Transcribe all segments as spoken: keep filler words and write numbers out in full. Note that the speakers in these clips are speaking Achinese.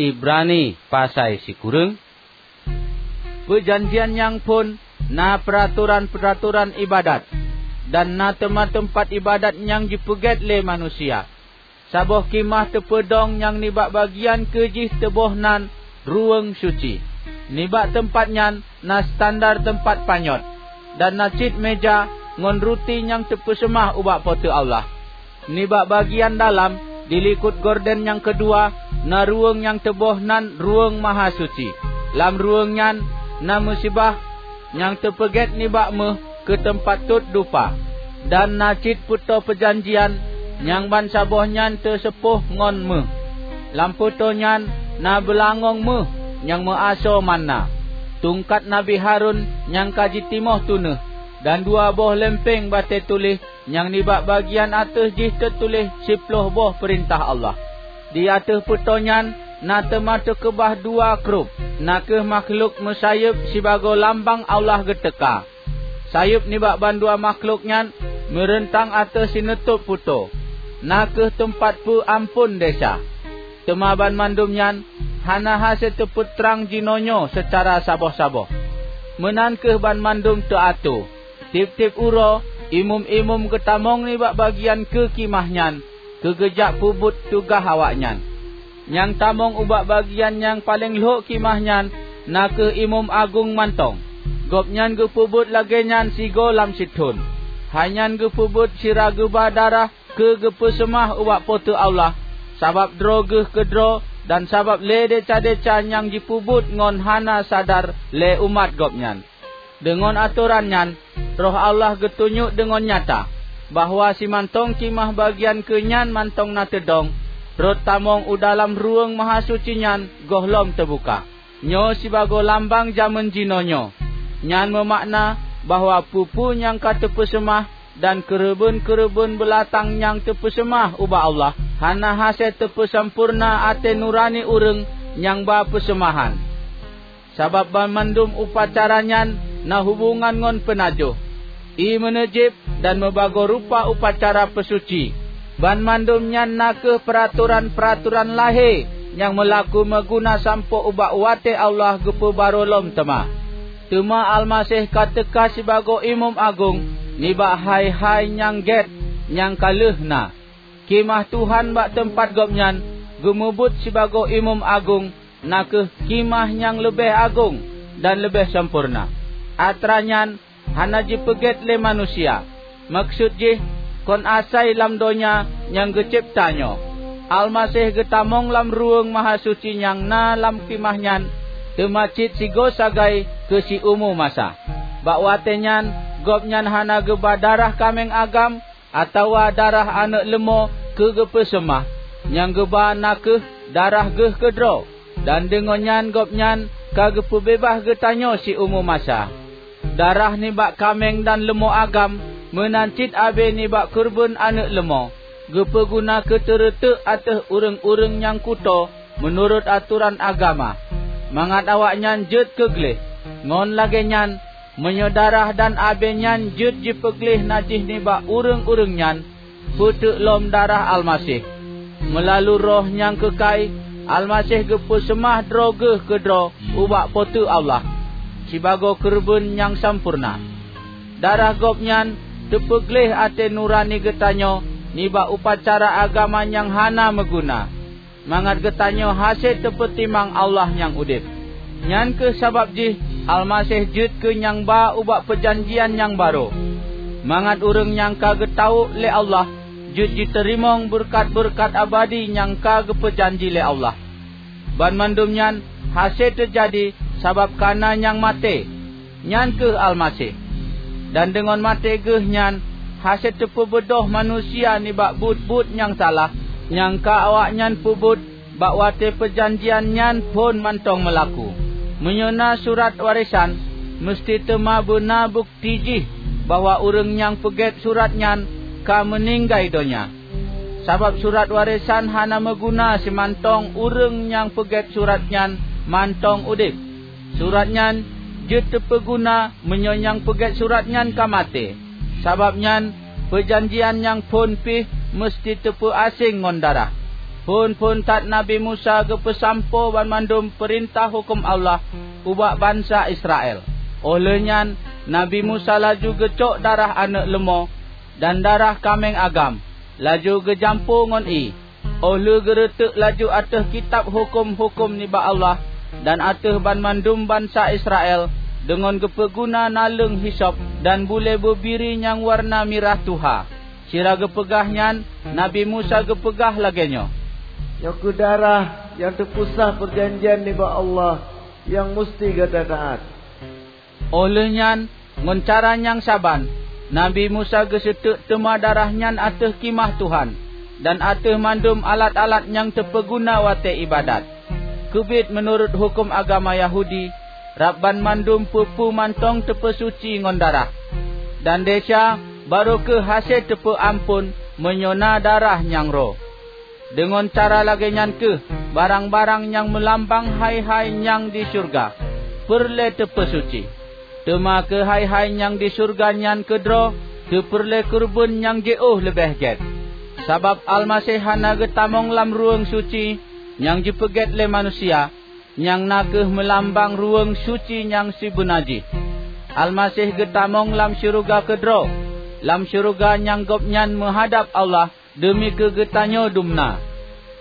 Ibrani pasai sikureueng? Peujanjian nyang phon na peuratoran-peuratoran iébadat, dan na teuma teumpat iébadat nyang jipeugét lé manusia. Saboh khimah teupeudong nyang nibak bagian keu jih teuboh nan Ruweueng Suci. Nibak teumpat nyan na standar teumpat panyöt, dan na cit meuja ngon ruti nyang teupeuseumah ubak Po teu Allah. Nibak bagian dalam, di likot gorden nyang keudua, na ruweueng nyang teuboh nan Ruweueng Mahasuci. Lam ruweueng nyan na meusibah nyang teupeugét nibak méuh keu teumpat tot dupa, dan na cit peutoe peujanjian nyang bansaboh nyan teuseupôh ngon méuh. Lam peutoe nyan na beulangöng méuh nyang meuasoe manna, tungkat Nabi Harun nyang ka jitimoh tunéh, dan dua boh leumpéng batée tuléh nyang nibak bagian ateueh jih teutuléh siplôh boh peurintah Allah. Di ateueh peutoe nyan na teuma teukeubah dua krup, na kheueh makhlok meusayeueb sibagoe lambang Allah geuteuka. Sayeueb nibak bandua makhlok nyan meureuntang ateueh sineutôb peutoe, na kheueh teumpat peuamphon desya. Teuma banmandum nyan hana hase teupeutrang jinoenyoe seucara saboh-saboh. Meunan kheueh banmandum teuatoe. Tieb-tieb uroe, imeum-imeum geutamong nibak bagian keu khimah nyan keu geujak peubuet tugaih awaknyan. Nyang tamong ubak bagian nyang paleng lhok khimah nyan na kheueh imeum agong mantong. Gobnyan geupeubuet lagée nyan sigoe lam sithon. Hai nyan geupeubuet sira geuba darah keu geupeuseumah ubak Po teu Allah, sabab droe geuh keudroe dan sabab lé desya-desya nyang jipeubuet ngon hana sadar lé umat gobnyan. Deungon atoran nyan, Roh Allah geutunyok deungon nyata bahwa simantong khimah bagian keu nyan mantong na teudong, rot tamong u dalam Ruweueng Mahasuci nyan gohlom teubuka. Nyoe sibagoe lambang jamén jinoenyoe. Nyan meumakna bahwa peue-peue nyang ka teupeuseumah dan keureubeuen-keureubeuen beulatang nyang teupeuseumah ubak Allah hana hase teupeusampoereuna até nurani ureuëng nyang ba peuseumahan. Sabab banmandum upacara nyan na hubongan ngon peunajoh, ié meuneujéb dan meubagoe rupa upacara peusuci. Banmandum nyan na kheueh peuratoran-peuratoran lahé nyang meulaku meuguna sampoe ubak watée Allah geupeubarô lom teuma. Teuma Almaseh ka teuka sibagoe Imeum Agong nibak hai-hai nyang gét nyang ka lheueh na. Khimah Tuhan bak teumpat Gobnyan geumubuet sibagoe Imeum Agong na kheueh khimah nyang leubeh agong dan leubeh sampoereuna. Atra nyan hana jipeugét lé manusia, meukeusut jih kon asai lam donya nyang geucebta nyoe. Almaseh geutamong lam Ruweueng Mahasuci nyang na lam khimah nyan teuma cit sigoe sagai keu siumu masa. Bak watée nyan Gobnyan hana geuba darah kaméng agam atawa darah aneuëk leumo keu geupeuseumah, nyang geuba na kheueh darah geuh keudroe, dan deungon nyan Gobnyan ka geupeubeubaih geutanyoe siumu masa. Darah nibak kaméng dan leumo agam meunan cit abée nibak keureubeuen aneuëk leumo geupeuguna keu teureuteuk ateueh ureuëng-ureuëng nyang kutoe meunurot atoran agama, mangat awaknyan jeuet keu gleh. Ngon lagée nyan, meunyoe darah dan abée nyan jeuet jipeugleh najih nibak ureuëng-ureuëng nyan, peuteuk lom darah Almaseh. Meulalu Roh nyang keukai, Almaseh geupeuseumah droe geuh keudroe ubak Po teu Allah sibagoe keureubeuen nyang sampoereuna. Darah Gobnyan teupeugleh até nurani geutanyoe nibak upacara agama nyang hana meuguna, mangat geutanyoe hase teupeutimang Allah nyang udeb. Nyan kheueh sabab jih Almaseh jeuet keu nyang ba ubak peujanjian nyang barô, mangat ureuëng nyang ka geutawök lé Allah jeuet jiteurimong beureukat-beureukat abadi nyang ka geupeujanji lé Allah. Banmandum nyan hase teujadi sabab kana nyang maté, nyan kheueh Almaseh. Dan deungon maté geuh nyan hase teupeubeudôh manusia nibak buet-buet nyang salah nyang ka awaknyan peubuet bak watée peujanjian nyan phon mantong meulaku. Meunyoe na surat warésan, meuseuti teuma beuna bukeuti jih bahwa ureuëng nyang peugét surat nyan ka meuninggai donya. Sabab surat warésan hana meuguna simantong ureuëng nyang peugét surat nyan mantong udeb. Surat nyan jeuet teupeugeuna meunyoe nyang peugét surat nyan ka maté. Sabab nyan, peujanjian nyang phon pih meuseuti teupeuaséng ngon darah. Phon-phon that Nabi Musa geupeusampoe banmandum peurintah huköm Allah ubak bansa Israel. Óh lheueh nyan Nabi Musa laju geucok darah aneuëk leumo dan darah kaméng agam, laju geujampo ngon ié. Óh lheueh geureuteuk laju ateueh kitab huköm-huköm nibak Allah dan ateueh banmandum bansa Israel, deungon geupeuguna naleueng hisop dan bulée beubiri nyang wareuna mirah tuha. Sira geupeugah nyan, Nabi Musa geupeugah lagée nyoe, "Nyoe kheueh darah nyang teupeusah peujanjian nibak Allah nyang musti gata taát." Óh lheueh nyan, ngon cara nyang saban, Nabi Musa geuseuteuk teuma darah nyan ateueh khimah Tuhan dan ateueh mandum alat-alat nyang teupeuguna watée iébadat. Keubiet meunurot huköm agama Yahudi, rab banmandum peue-peue mantong teupeusuci ngon darah. Dan desya barô kheueh hase teupeu amphon meunyoe na darah nyang roh. Deungon cara lagée nyan kheueh barang-barang nyang meulambang hai-hai nyang di syeuruga peureulée teupeusuci. Teuma keu hai-hai nyang di syeuruga nyan keudroe teupeureulée keureubeuen nyang jiôh leubeh gét. Sabab Almaseh hana geutamong lam ruweueng suci nyang jipeugét lé manusia, nyang na kheueh meulambang ruweueng suci nyang sibeuna jih. Almaseh geutamong lam syeuruga keudroe, lam syeuruga nyang Gobnyan meuhadab Allah deumi keu geutanyoe dumna.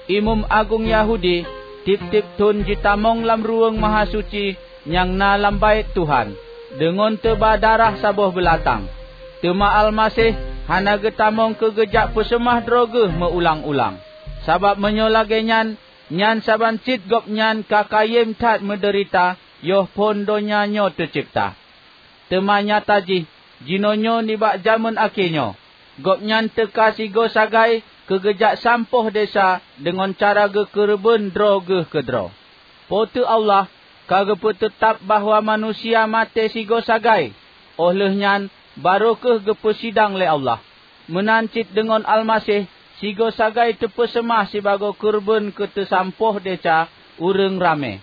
Imeum agong Yahudi tieb-tieb thon jitamong lam Ruweueng Mahasuci nyang na lam Baét Tuhan, deungon teuba darah saboh beulatang. Teuma Almaseh hana geutamong keu geujak peuseumah droe geuh meu-ulang-ulang. Sabab meunyoe lagée nyan, nyan saban cit Gobnyan ka kayém that meudeurita yoh phon donya nyoe teucebta. Teuma nyata jih, jinoenyoe nibak jamén akhé nyoe, Gobnyan teuka sigoe sagai keu geujak sampoh desya deungon cara geukeureubeuen droe geuh keudroe. Po teu Allah ka geupeuteutab bahwa manusia maté sigoe sagai, óh lheueh nyan barô kheueh geupeusidang lé Allah. Meunan cit deungon Almaseh sigoe sagai teupeuseumah sibagoe keureubeuen keu teusampoh desya ureuëng ramé.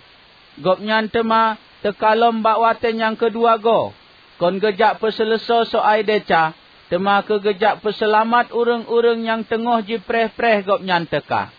Gobnyan teuma teuka lom bak watée nyang keudua goe, kon geujak peuseuleusoe soai desya, teuma keu geujak peuseulamat ureuëng-ureuëng nyang teungoh jipreh-preh Gobnyan teuka.